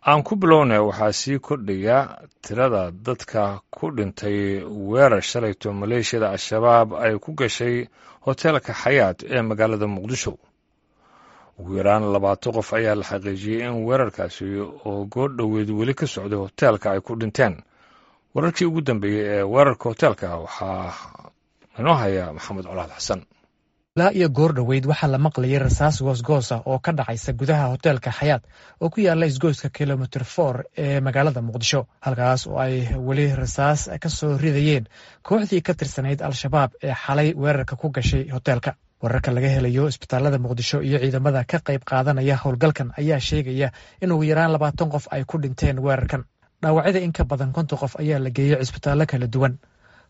Aan ku bilowna, waxaa sii kordhaya tirada dadka ku dhintay weerar shalayto maleeshiyada Al-Shabaab ay ku gashay hoteelka Xayaat ee magaalada Muqdisho. Ugu yaraan 20 qof ayaa la xaqiijiyey in weerarkaasi oo goordhoweed weli ka socday hoteelka ay ku dhinteen. Wararkii ugu dambeeyey ee weerarka hoteelka waxaa inoo haya Maxamed Colaad Xasan. Ilaa iyo goor dhoweyd waxaa la maqlayay rasaas goosgoos ah oo ka dhacaysa gudaha hoteelka Xayaat oo ku yaala isgoyska Kilomitr 4 ee magaalada Muqdisho, halkaas oo ay weli rasaas ka soo ridayeen kooxdii ka tirsanayd Al-Shabaab ee xalay weerarka ku gashay hoteelka. Wararka laga helayo isbitaalada Muqdisho iyo ciidamada ka qayb qaadanaya howlgalkan ayaa sheegaya in ugu yaraan 20 qof ay ku dhinteen weerarkan. Dhaawacyada in ka badan 50 qof ayaa la geeyey cisbitaallo kala duwan.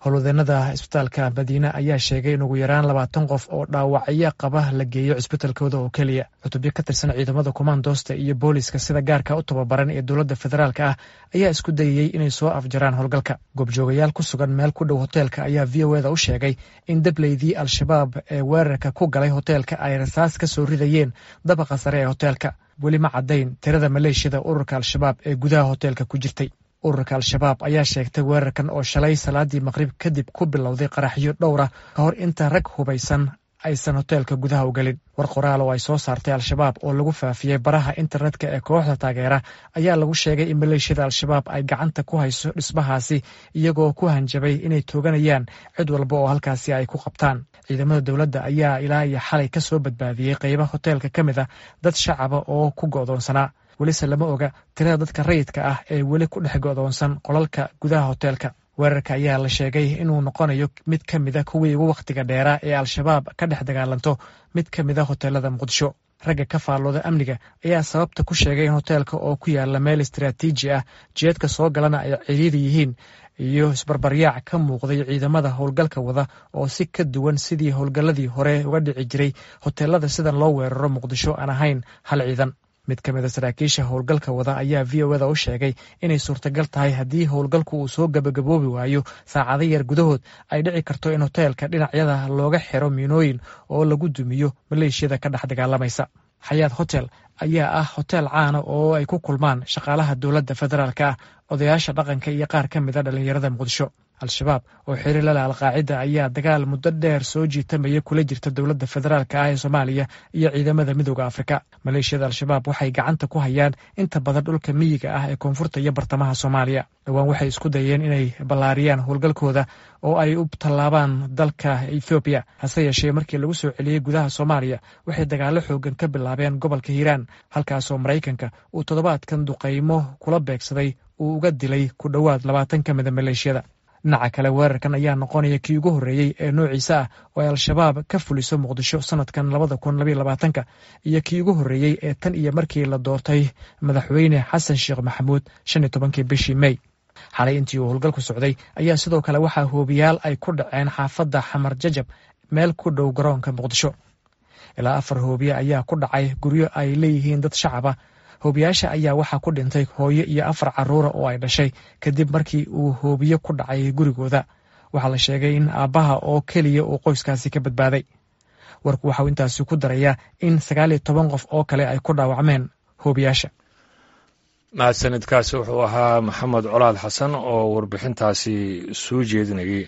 Howlwadeenada cisbitaalka Madiine ayaa sheegay in ugu yaraan 20 qof oo dhaawacyo qaba la geeyo cisbitalkooda oo keliya. Cutubyo ka tirsan ciidamada kumaandoosta iyo booliska sida gaarka u tababaran ee dowladda federaalka ah ayaa isku dayayey inay soo afjaraan howlgalka. Goobjoogayaal ku sugan meel ku dhow hoteelka ayaa VOA da u sheegay in dableydii Al-Shabaab ee weerarka ku galay hoteelka ay rasaas ka soo ridayeen dabaqa sare ee hoteelka. Weli ma caddayn tirada maleeshiyada ururka Al-Shabaab ee gudaha hoteelka ku jirtay. Ururka Al-Shabaab ayaa sheegtay weerarkan oo shalay salaadii maqrib kadib ku bilowday qaraxyo dhowra ka hor inta rag hubaysan aysan hoteelka gudaha u gelin. War qoraal oo ay soo saartay Al-Shabaab oo lagu faafiyey baraha internetka ee kooxda taageera ayaa lagu sheegay in maleeshiyada Al-Shabaab ay gacanta ku hayso dhismahaasi, iyagoo ku hanjabay inay tooganayaan cid walba oo halkaasi ay ku qabtaan. Ciidamada dowladda ayaa ilaa iyo xalay ka soo badbaadiyey qeyba hoteelka ka mid a dad shacaba oo ku go'doonsanaa. Welise lama oga tirada dadka rayidka ah ee weli ku dhex go'doonsan qolalka gudaha hoteelka. Weerarka ayaa la sheegay inuu noqonayo mid ka mida kuwii ugu wakhtiga dheeraa ee Al-Shabaab ka dhex dagaalanto mid ka mida hoteelada Muqdisho. Ragga ka faallooda amniga ayaa sababta ku sheegay in hoteelka oo ku yaala meel istaraatiiji ah, jeedka soo galana ay cidhiiri yihiin, iyo isbarbaryaac ka muuqday ciidamada howlgalka wada oo si ka duwan sidii howlgalladii hore uga dhici jiray hoteelada sidan loo weeraro Muqdisho aan ahayn hal ciidan. Mid ka mida saraakiisha howlgalka wada ayaa VOA da u sheegay inay suurtagal tahay haddii howlgalku uu soo gabagaboobi waayo saacado yar gudahood, ay dhici karto in hoteelka dhinacyada looga xiro miinooyin oo lagu dumiyo maleeshiyada ka dhex dagaalamaysa. Xayaat Hotel ayaa ah hotel caana oo ay ku kulmaan shaqaalaha dowladda federaalka ah, odayaasha dhaqanka iyo qaar ka mida dhallinyarada Muqdisho. Al-Shabaab oo xiriir la leh Alqaacida ayaa dagaal muddo dheer soo jiitamaya kula jirta dowladda federaalka ah ee Soomaaliya iyo ciidamada Midooda Afrika. Maleeshiyada Al-Shabaab waxay gacanta ku hayaan inta badan dhulka miyiga ah ee koonfurta iyo bartamaha Soomaaliya. Dhowaan waxay isku dayeen inay ballaariyaan howlgalkooda oo ay u tallaabaan dalka Ethoobiya. Hase yeeshee, markii lagu soo celiyey gudaha Soomaaliya, waxay dagaallo xoogan ka bilaabeen gobolka Hiiraan, halkaasoo Maraykanka uu toddobaadkan duqaymo kula beegsaday uu uga dilay ku dhowaad 20 ka mida maleeshiyada. Dhinaca kale, weerarkan ayaa noqonaya kii ugu horreeyey ee noociisa ah oo ay Al-Shabaab ka fuliso Muqdisho sanadkan 2022-ka iyo kii ugu horreeyey ee tan iyo markii la doortay Madaxweyne Xasan Sheekh Maxamuud 15-kii bishii Mey. Xalay intii uu howlgalku socday ayaa sidoo kale waxaa hoobiyaal ay ku dhaceen xaafadda Xamar Jajab, meel ku dhow garoonka Muqdisho. Ilaa afar hoobiye ayaa ku dhacay guryo ay leeyihiin dad shacaba. Hoobiyaasha ayaa waxaa ku dhintay hooyo iyo afar caruura oo ay dhashay kadib markii uu hoobiye ku dhacay gurigooda. Waxaa la sheegay in aabbaha oo keliya uu qoyskaasi ka badbaaday. Warku waxauu intaasi ku darayaa in 19 qof oo kale ay ku dhaawacmeen hoobiyaasha. Mahadsanidkaasi wuxuu ahaa Maxamed Colaad Xasan oo warbixintaasi soo jeedinayay.